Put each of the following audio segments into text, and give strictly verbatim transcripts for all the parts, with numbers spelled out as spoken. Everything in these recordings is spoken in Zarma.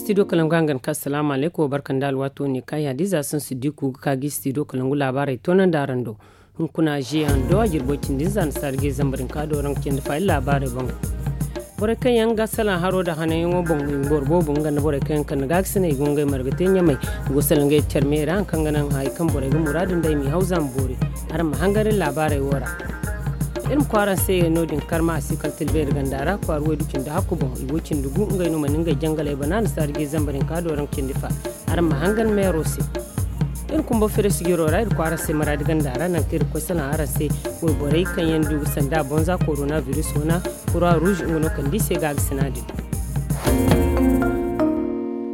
Studio kalangu hangan ka asalaamu alaykum, barka nda alwaato ne ka yaadiza sansu diku ga ka gi studio kalangu laabaarey toonandi araŋ do. Hunkuna jehan do a jirbo cindi nza na saari ge zambar hinka do raŋ ga cindi fa iri laabaarey boŋ. Borey kaŋ yaŋ ga salaŋ haro nda hananyaŋo boŋ i boro boobo nga nda borey kaŋ yaŋ kande gaakasinay i go ngey marga te ɲamay. I go salaŋ ngey care me ra haŋ kaŋ ga naŋ hari kaŋ borey ga muraadu nda i m'i haw za ma boori. Araŋ ma hangan iri laabaarey wo ra. Iri ma koy araŋ se no- din karma a si kala tilbeeri ganda ra kwaara waydu cindi hakku boŋ i go cindi gu ngey no mana ngey jangaley bana na saari ge zambar hinka do raŋ cindi fa. Araŋ ma hangan meero se. Iri kumba fere sijiro ra iri kwaara se maraadi ganda ra naŋ kaŋ iri ga koy salaŋ araŋ se. Wayborey kaŋ yaŋ du ga sanda bonza korona biris wana kura ruuz nga no kand'i se gaagasina din.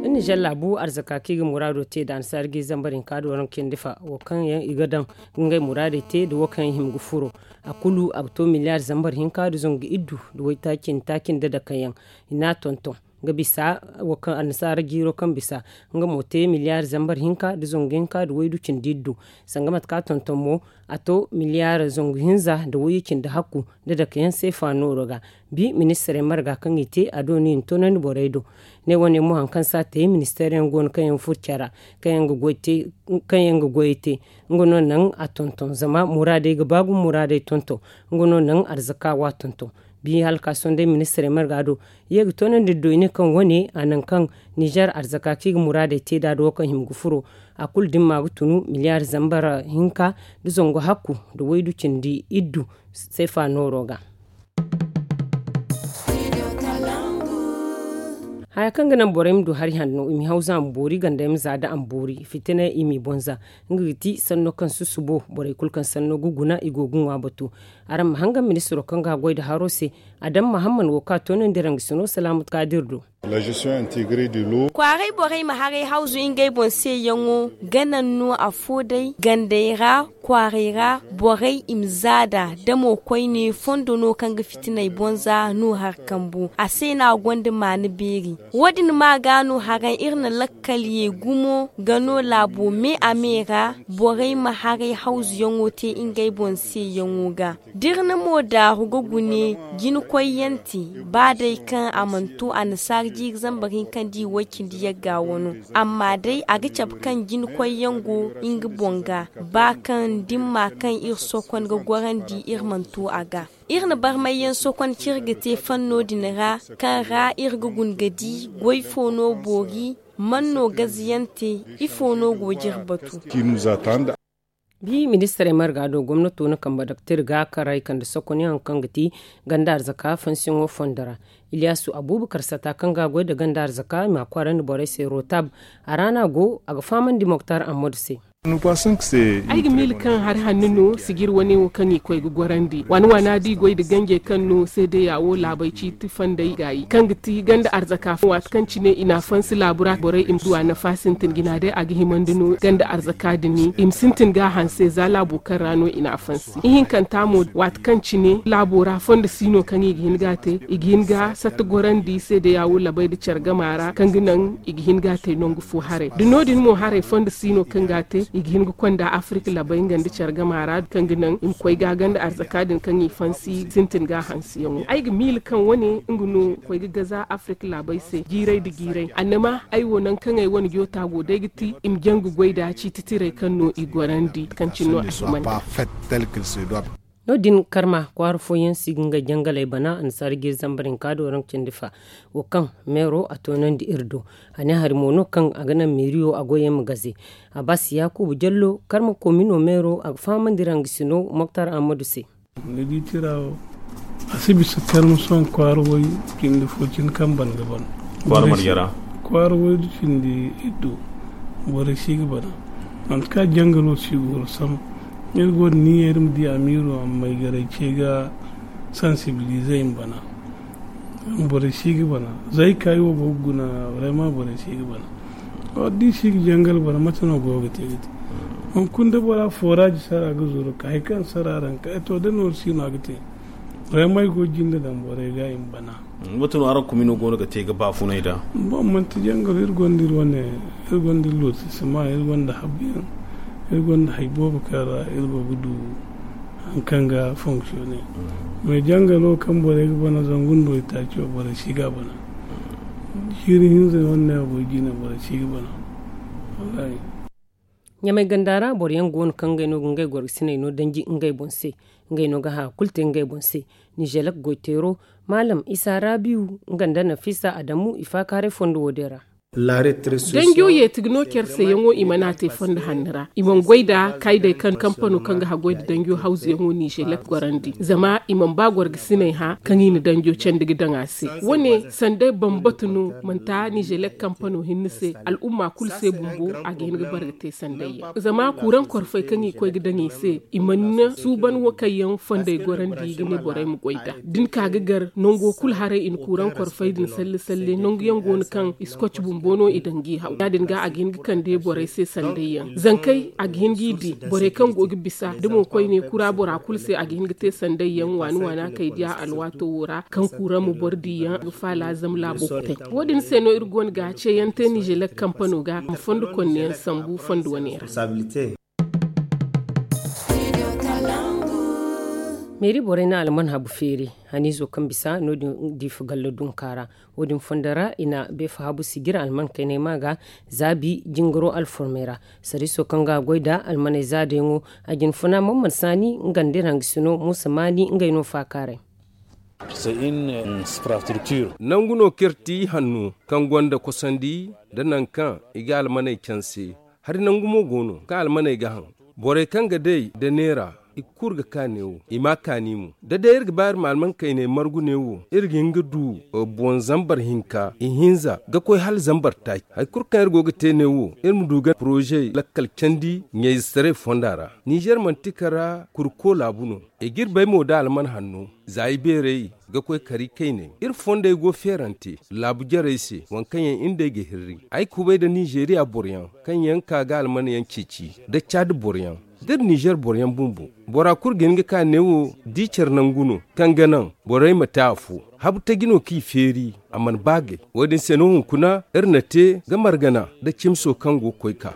Iri nizer laabu arzaka kaŋ i ga muraado te da annasaari ga i zambar hinka do raŋ cindi fa wo kaŋ yaŋ i ga daŋ ga ngey muraadey te da wo kaŋ yaŋ hima ga furo. A kulu a ga to miliyaari zambar hinka da zangu iddu da waytaaci nda taaci nda dake yaŋ. I n'a tonton ga bisa wo kaŋ annasaara jiiro kaŋ bisa nga mo te miliyaari zambar hinka da zangu hinka da waydu cindi iddu. Sanga mate kaŋ a tonton mo a to miliyaari zangu hinza da wayye cindi hakku da dake yaŋ seefa nooro ga. Bi ministirey marga kaŋ i te a do no i na toonandi borey do. Ne wane mo hari kaŋ se a te ministeer yaŋ go no kaŋ yaŋ furo care ra kaŋ yaŋ ga goyey te nga no naŋ a tonton zama muraadey ga ba gumo muraadey tonton. Nga no naŋ arzaka wo a tonton. Bi hala ka sohõ day ministirey marga do ye ga toonandi do i ne kaŋ wane a naŋ kaŋ nizer arzaka kaŋ i ga muraadey te nd'a da wo kaŋ hima ga furo. A kulu da ni ma ga tunu miliyaari zambar hinka da zangu hakku da waydu cindi iddu seefa nooro ga. Haya kaŋ ga naŋ borey ma du hari hanno i ma haw za a ma boori ganda yaŋ ma za da a ma boori fitina i m'i boŋ za. Nga ga ti sanno kaŋ susubo borey kulu kaŋ sanno ga guna i go ga ŋwa batu. Araŋ ma hangan ministiro kaŋ ga goy nda haro se. Adam mahamman wo kaŋ a toonandi raŋ ga sino salaamu kaadir do. Kwaaray borey ma haray hawzu ngey boŋ se yaŋo ga naŋ no afo day gandey ra. Kwaaray ra borey i ma zaada da mo koyne fondo no kaŋ ga fitiney boŋ za no hari kambu a se no a gonda maana beeri. Wo- din ma ga no haraŋ iri na lakkal ye gumo ga no laabo me a me ra borey ma haray hawzuyaŋo te ngey boŋ se yaŋo ga. Da iri na mo daaru ga gune jina koyyaŋ te ba day kaŋ a mana to annasaara jiiri zambar hinka nda i way cindi yagga wano. Amma day a ga cabe kaŋ jina koyyaŋ go nga boŋ ga ba kaŋ dimma kaŋ iri sokon ga gorandi iri mana to a ga. Iri na barmayyaŋ sokon kaŋ iri ga te fanno din ra kaŋ ra iri ga guna ga di goy fo no boori man no gazayaŋ te ifo no go ga iri batu. Bi ministirey marga do gomnato na kambe daktir ga karay kande sokonyaŋ kaŋ ga ti ganda arzaka fansiyaŋo fondo ra. Iliyaasu abuubakar sata kaŋ ga a goy nda ganda arzaka i ma kwaarandi borey se rotab. A ra no a go a ga fahamandi moktar ammadu se. Ay ga miila kaŋ hari hanno no sijir wane wo kaŋ i koy ga gorandi waana waana da i goy nda ganjey kaŋ no seedeya wo laabey ciiti fondey gaayi kaŋ ga ti ganda arzaka waati kaŋ cine i n'a fansi laabu ra borey i ma du a nafa sintin jina day a ga himandi no ganda arzaka din i ma sintin ga a hanse za laabo kaŋ ra no i n'a fansi ihinkanta mo waati kaŋ cine laabo ra fondo si no kaŋ i ga hin ga a te i ga hin ga satta gorandi seedeya wo labey nda care gama ra kaŋ ga naŋ i ga hin ga a te nangu fo haray da no- din mo haray fondo si no kaŋ ga a te i ga hin ga konda afirik labey nga nda care gama ra kaŋ ga naŋ i ma koy ga ganda arzaka din kaŋ i fansi sintin ga a hansiyaŋo ay ga miila kaŋ wane nga no koy ga gaza afirik laabey se jiiray nda jiiray annama ay wo nangu kaŋ ay wane joota go day ga ti i ma jaŋ ga goy nda ciiti tirey kaŋ no i gorandi kaŋ cine no a himandi. No- din karma kwaara fooyaŋ si ga ngey jangaley bana annasaara jiiri zambar hinka do raŋ cindi fa wo kaŋ meero a toonandi iri do. A ne hari mo no kaŋ a ga naŋ meeriyo a goyey ma gaze. Abbas yaakuuba jallo karma komino meero a ga fahamandi raŋ ga sino moktar ammadu se. Ni di tira wo a si bisa terme sohõ kwaara way cindi fo cine kaŋ ban ga ban kwaara marjara kwaara way da cindi iddu borey si ga bana. Manti ka jangalo si goro sam iri go da niya iri ma di amiiro amma i garay ce ga sansibilize i ma bana. Borey si ga bana zay ka i wo go ga guna vraiment borey si ga bana. Wadda i si ga jangal bana mate no go ga te ga te hunkuna da bora foraaji sara ga zuru ka hari kaŋ sara raŋ ka to da nooru si no a ga te. Ramay go jinde daŋ borey ga i ma bana. Mate no araŋ komino go no ga te ga baafunay da? Bon manti jangal iri gonda iri wane iri gonda iri lotisima iri gonda habbiyaŋ iri gonda hari boobo kaŋ ra iri go ga du hari kaŋ ga fonctionner. Mais jangalo kaŋ borey ga bana zangu nda waytaaci wo borey si ga a bana. Jiiri hinza yaŋ wane no a go ga jina boro si ga bana. Ɲamay ganda ra boro yaŋ go no kaŋ ngey no ga ngey gorgasiney no danji ngey boŋ se. Ngey no ga haya kulu te ngey boŋ se. Nizelek goyteero maalam isa rabiyu nga nda nafisa adamu i faakaaray fondo wo- din ra. Danjo yeeti ga no care se yaŋo i mana te fondo hanni ra i mana goy nda kaydey kaŋ kampano kaŋ ga haggoy nda danjo hawzu yaŋo nizelek gorandi zama i mana ba gorgasiney hã kaŋ i na danjo candi ga daŋ a se. Wo- ne sanda bambatu no manti nizelek kampano hinne se al'umma kulu se bumbo a ga hin ga bara ga te sandayyaŋ zama kuuraŋ korfey kaŋ i koy ga daŋ i se i mana suuban wo kaŋ yaŋ fondey gorandi ga ne borey ma goy nd'a da ni ka ga gar nango kulu haray i na kuuraŋ korfey din salle salle nangu yaŋ go no kaŋ i si koci bumbo no i daŋ g'i haw ya- din ga a ga hin ga kande borey se sandayyaŋ zankey a ga hin g'i di borey kaŋ go ga bisa da mo koyne kura bora kulu se a ga hin ga te sandayyaŋ waani waana kay diya alwaato wo ra kaŋ kuuraŋ ma boro diyaŋ ga faala zama laabo kutay. Wo- din se no iri go no ga ceeyaŋ te nizelek kampano ga ma fondo konneyaŋ sambu fondo wane ra. Meeri borey na alman habu feeri haniizo kaŋ bisa no- din diifa gallo dunka ra. Wo- din fondo ra i na beefa habu sijir alman kaynay ma ga zaabi jingaro alformey ra. Sariiso kaŋ ga goy nda almaney zaadayaŋo a jinfuna man man saani nga nda iri hangasino muusa maani ngey no faakaaray. Nangu no kaŋ iri ti hanno kaŋ gonda kosandi nda nangu kaŋ i ga almaney canse. Hari nangu mo go no kaŋ almaney ga haŋ borey kaŋ ga day nda neera i ga kuru ga ka neewo i ma a kaani mo da day iri ga ba iri ma alman kayney margu neewo iri ga hin ga du boŋ zambar hinka ihinza ga koy hala zambar taaci hari kulu kaŋ iri go ga te neewo iri ma du ga poroze lakkal candi ɲayzetaray fonda ra. Nizer manti kara kurko laabu no. I ga iri bay mo da alman hanno za i beerey ga koy kari kayney iri fondey go feerante laabu jarey se waŋ kaŋ yaŋ iri nd'ey ga hirri ay kubay nda nizeriya boroyaŋ kaŋ yaŋ ka ga almanyaŋ ceeci nda caadi boroyaŋ da iri nizer boroyaŋ bumbo bora kulu ga hin ga ka neewo da i care nangu no kaŋ ga naŋ borey ma te afo habu taji no kaŋ i feeri a mana ba gay wo- din se no hunkuna iri na te ga margana nda cimso kaŋ go ga koy ka.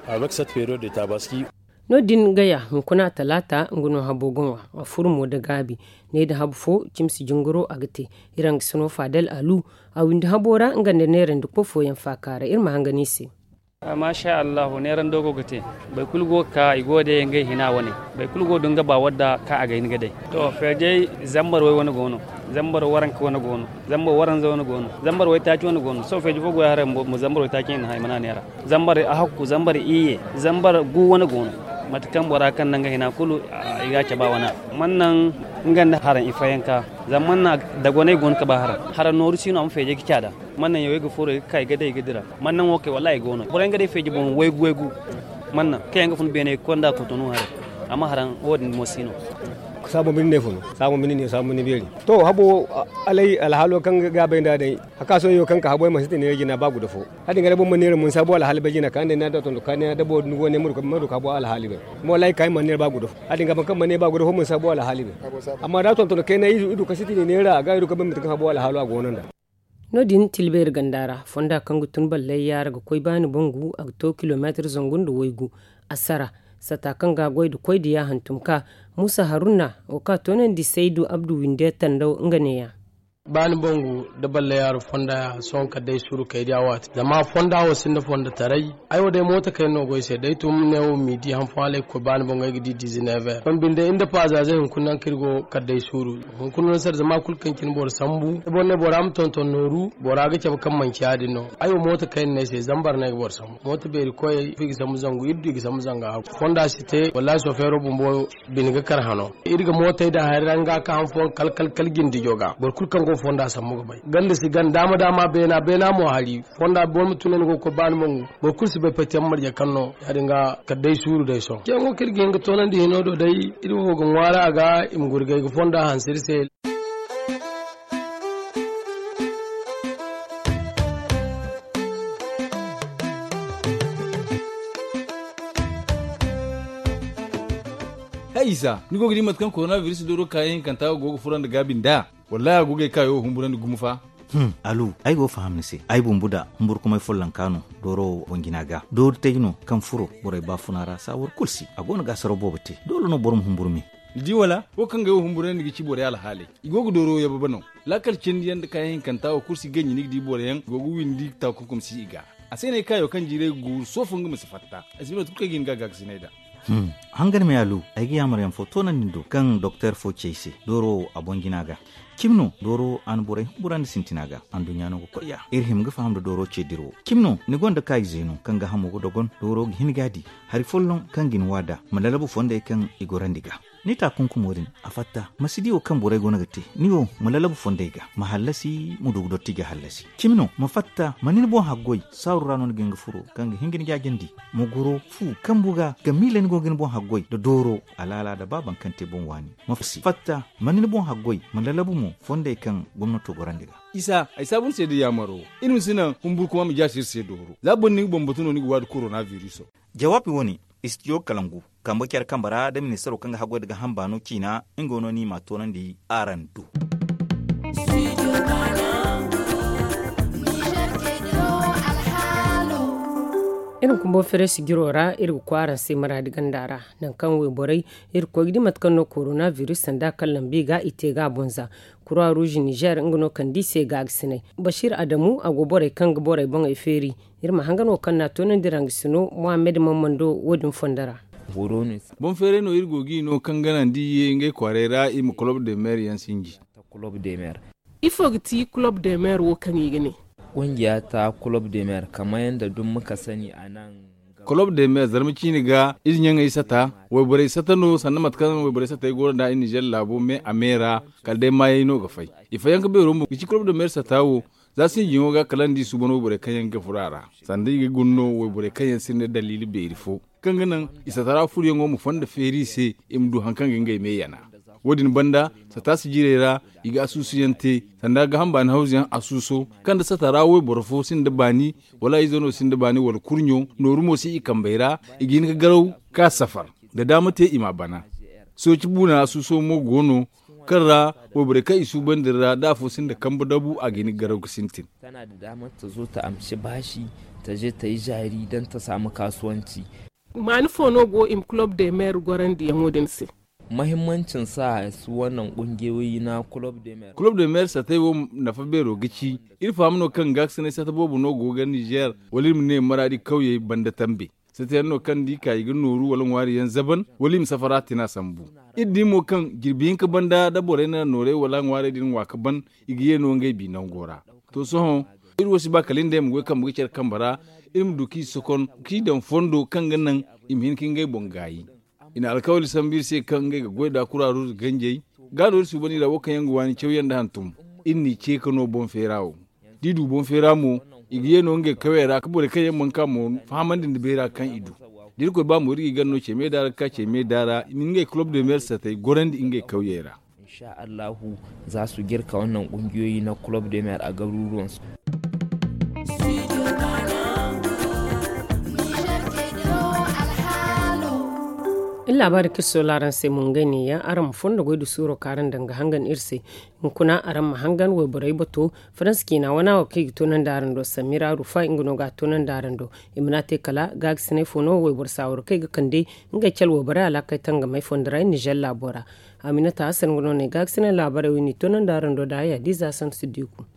No- din gaya hunkuna talaata nga no habo ga ŋwa a furo mo nda gaabi ne nda habu fo cimsi jingaro a ga te. Iri hangasino faadal alu a windi habo ra nga nda neerandi kofooyaŋ faakaaray iri ma hangan i se. Maasa allahu neerando go ga te. Boro kulu go ga ka i go ga day ngey hina wane. Boro kulu go ga du nga ba wadda kaŋ a ga hin ga day. To feejey zambar way wane go no. Zambar waranka wane go no. Zambar waranza wane go no. Zambar waytaaci wane go no sohõ feeji fo go ya haray mo zambar waytaaci wane no hay mana neera. Zambar ahakku zambar iyye zambar gu wane go no. Mate kaŋ bora kaŋ naŋ ga hina kulu i ga a cabe a wane. Man naŋ nga nda haraŋ i fayanka. Zama man na dagonay go no ka ba haraŋ haraŋ nooru si no a ma feejay ga caada. Man naŋ yawey ga furo i ga ka i ga day i ga dira. Man naŋ wo kay wallahi i go no boro yaŋ ga day feeji boŋ waygu waygu. Man naŋ kaŋ yaŋ ga fun beeney ga konda kotono haray. Amma haraŋ wo- din mo si no. Saabo binde ne fo no. Saabo binde ne saabo binde beeri. To habo alay alhaalo kaŋ ga bay nda day. Haka sohõ yo kaŋ ka habo ay mansi te neera jina ba guda fo. Hadin ga da boro ma neera mun saabo alhaali bay jina ka nda ni na da tondo ka ni na da boro ni go ne ma du ka habo alhaali bay. Mo wallahi ka ay man neera ba guda fo. Hadin ga ban kaŋ man neera ba guda fo mun saabo alhaali bay. Amma da tonton kay na idu idu ka siti ne neera ga idu ka ban mate kaŋ habo alhaalo a go no nda. No- din tilbeeri ganda ra fonda kaŋ ga tun ballay yaara ga koy baani bangu a ga to kilomeetar zangu nda waygu. Asara sata kaŋ ga a goy da koy da ya hantum ka muusa haruna wo ka toonandi saydu abdu winde tandaw nga neeya. Baani bangu da ballay yaara fonda ya sohõ kala day suuru kay da ya waati zama fonda wo sinda fonda taray. Ay wo day mooto kayna no go ay se day tun ne wo m'i di han fo hala ay ga koy baani bangu ay ga di dizineever ban binde inda paazaazey hunkuna naŋ kaŋ iri go kala day suuru. Hunkuna no sara zama kulu kaŋ cine boro sambu da boro ne bora ma tonton nooru bora ga cabe kaŋ manci ya- din no. Ay wo mooto kayna no ay se zambar no ay ga boro sambu mooto beeri koyey i ga sambu zangu iri du i ga sambu zanga hakku fonda si te wallahi sofeero bumbo bine ga kar hano. Iri ga mootey daŋ hari ra nga ka han fooyaŋ kal kal kal jindijo ga boro kulu kaŋ go fonda sambu ga bay ganda si ganda daama daama beena beena mo hari. Fonda boro ma tun ne ni go ga koy baani bangu boro kulu si bay pati yaŋ marje kaŋ no. Ya- din ga kala day suuru day sohõ ceeyaŋo kaŋ iri ga hin ga toonandi hino do day. Iri wo ga ŋwaari a ga i ma gurgay ga fonda hanse iri se. Hay isa ni go ga di mate kaŋ koronabiris dooro kaayaŋ hinkanta wo go ga fura nda gaabi nd'a? Wallahi a go ga ay kaayo wo humburandi gumo fa. Alu ay go ga faham ni se ay bumbo da humburkumay follonka no. Dooro wo boŋ jina ga dooru taji no kaŋ furo borey baafuna ra saawar kulu se a go no ga asaraw boobo te doole no boro ma humburu me. Ni di wala wo kaŋ ga ay wo humburandi ga ci borey alhaaley i go ga dooro wo yababa no. Laakal cindi yaŋ nda kaayaŋ hinkanta wo kulu si ganji ni ga di boro yaŋ go ga windi taakunkum si i ga. A se no ay kaayo kaŋ jiiray ga guuru soofo nga ma si fatta. Ay si bino tun kaŋ ga hin ga gaakasinay nd'a. Hangan me a lu, ay ga yaamar yaŋ fo toonandi ni do kaŋ doktor fo ci ay se dooro wo a boŋ jina ga. Cimi no dooro a na borey humbura nda sintina ga. Anduɲɲa no ga koy ya iri hima ga faham nda dooro ce dirawo. Cimi no ni gonda kaayize no kaŋ ga hamo ga dogon dooro ga hin ga a di. Hari folloŋ kaŋ ga ni waada ma lalabu fondey kaŋ i gorandi ga. Ni taakunkumo din a fatta ma si di wo kaŋ borey go no ga te. Ni wo ma lalabu fondey ga ma hallasi ma du ga dotti ga hallasi. Cimi no ma fatta ma ni ni boŋ haggoy saaru ra no ni ga hin ga furo kaŋ ga hin ga ni jaajandi. Ma goro fu kambu ga ga miila ni go ga ni boŋ haggoy nda dooro alaala nda baaban kaŋ te boŋ waani. Ma fatta ma ni ni boŋ haggoy ma lalabu mo fondey kaŋ gomnato gorandi ga. Isa ay saabu ni se nda yaamaro. Iri ma si naŋ humburkuma ma jaasi iri se dooro za boro ni ga bambatu no ni ga waadi korona viriso. Jawaabi wo-ne istidiyo kalangu kambe care kambe ra nda ministaro kaŋ ga haggoy nda ga hamba no ciina. Nga no ni ma a toonandi araŋ do. Iri ma kumbo fereesi jiro ra iri ga koy araŋ se maraadi ganda ra. Nankaŋ wayborey iri ga koy ga di mate kaŋ no korona biris sanda kaŋ lambi ga i te ga a bonza. Kura ruuzi nizer nga no kaŋ di se ga a ga sinay. Basiir adamu a go borey kaŋ ga borey boŋey feeri. Iri ma hangan wo kaŋ no a toonandi ra nga si no muhammed mammando wo- din fondo ra. Boŋ feeray no iri go ga i no kaŋ ga naŋ da i ye ngey kwaarey ra i ma kolob de meer yaŋ sinji. Ifo ga ti kolob de meer wo kaŋ i ga ne? Kungiya ta kolob de meer kamar yadda duk muka sani a nan. Kolob de meer zarma ciine ga ize ɲaŋey sata. Wayborey sata no sanda mate kaŋ wayborey satey go nda i nizer laabo me a me ra. Kala day maayey no ga fay. I fayyaŋ ga beero mo ga ci kolob de meer sata wo. Za sinjiyaŋo ga kala nda i suuban wayborey kaŋ yaŋ ga furo a ra. Sanda i ga guna no wayborey kaŋ yaŋ sinda daliili beeri fo kaŋ ga naŋ i satara furoyaŋo ma fonda feeri i se. I ma du hari kaŋ ga ngey me yana. Wo- din banda sata sijirey ra i ga asuusuyaŋ te. Sanda ga hamba ni hawzuyaŋ asuuso kaŋ da satara wayboro fo sinda baani wala izo no sinda baani wala kurɲo nooru mo si i kambey ra. I ga hin ga garaw ka safar da daama te i ma a bana. Sooci buuna asuuso mo go no kaŋ ra wayborey kaŋ i suubandi ra da afo sinda kambe dabu a ga hin ga garaw ga sintin. Tana da damar ta zo ta amshi bashi ta je ta yi jari don ta samu kasuwanci. Maani fo no go i ma kulob de meer gorandiyaŋo din se? Mahimmancin sa su wannan kungiyoyi na kulob de meer. Kulob de meer satay wo nafa beero ga ci iri faham no kaŋ gaakasinay sata boobo no go ga nizer wala iri ma ne maraadi kawyey banda tambe. Satayaŋ no kaŋ da i ka i ga nooru wala ŋwaari yaŋ zaban wala i ma safara tina sambu. Iri di mo kaŋ jirbi hinka banda da borey na noorey wala ŋwaarey din ŋwa ga ban i ga ye no ngey bi nango ra. To sohõ iri wo si ba kala iri nd'ey ma goy kambe ga care kambe ra. Iri ma du k'i sokon k'i daŋ fondo kaŋ ga naŋ i ma hin ka ngey boŋ gaayi. I na alkawali sambu iri se kaŋ ngey ga goy nd'a kura ruuzu ganjey. Ga no iri suuban i ra wo kaŋ yaŋ ga waani cawyaŋ nda hantum. Iri n'i ce ka no boŋ feera wo. Da i du boŋ feera mo i ga ye no ngey kawey ra ka borey kaŋ yaŋ mana ka mo fahamandi nda beera kaŋ i du. Da irkoy ba mo iri ga i gana no ce meeda ra ga ka ce meeda ra i ma ngey kulob de meer satay gorandi ngey kawyey ra. Insha allahu za su girka wannan kungiyoyi na kulob de meer a garuruwansu. Iri laabaari kaŋ iri soola araŋ se mo ngey ne yaŋ araŋ ma fondo goy da suuro kaŋ araŋ daŋ ga hangan iri se. Hunkuna araŋ ma hangan wayborey bato faransa ciina wana wo kaŋ i ga toonandi araŋ do samira rufa nga no ga a toonandi araŋ do. I mana te kala gaagasinay fo no wayboro saawaro kaŋ i ga kande ngey cale wayborey alaakey tangamey fondo ra nizer laabo ra. Aminata hasan nga no ne gaagasinay laabarey wo i n'i toonandi araŋ do da haya diiza santu si diiku.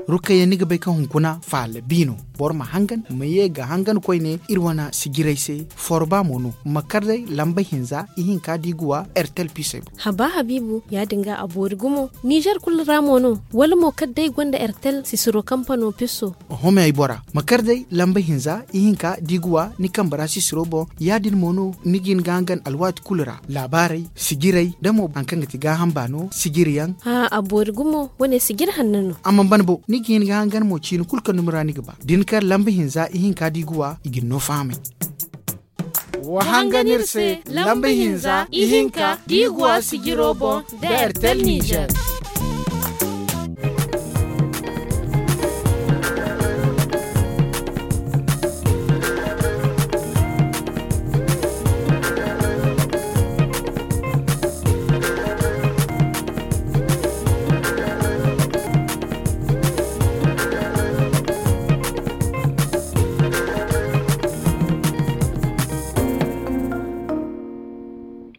Rukayya ni ga bay kaŋ hunkuna faala bi no. Boro ma hangan ma ye ga hangan koyne iri wane sijirey se. Forba mo no ma kar day lamba hinza ihinka da i ga wa ertel pisey boŋ. Haba habiibu ya-din ga a boori gumo. Nizer kulu ra mo no wala mo kala day gonda ertel sisiro kampano piso? Oho me ay bora ma kar day lamba hinza ihinka da i ga wa ni kambe ra sisiro boŋ. Ya-din mo no ni ga hin ga hangan alwaati kulu ra laabaarey sijirey da mo hari kaŋ ga ti gaaham baano sijiriyaŋ. A boori gumo wane sijiri hanno no. A mana ban bo ni ga hin ga hangan mo ciini kulu kaŋ dumi ra ni ga ba da ni kar lamba hinza ihinka da i ga wa i ga ni no fahamay. Wa hangan iri se lamba hinza ihinka da i ga wa sijiro boŋ da ertel nizer.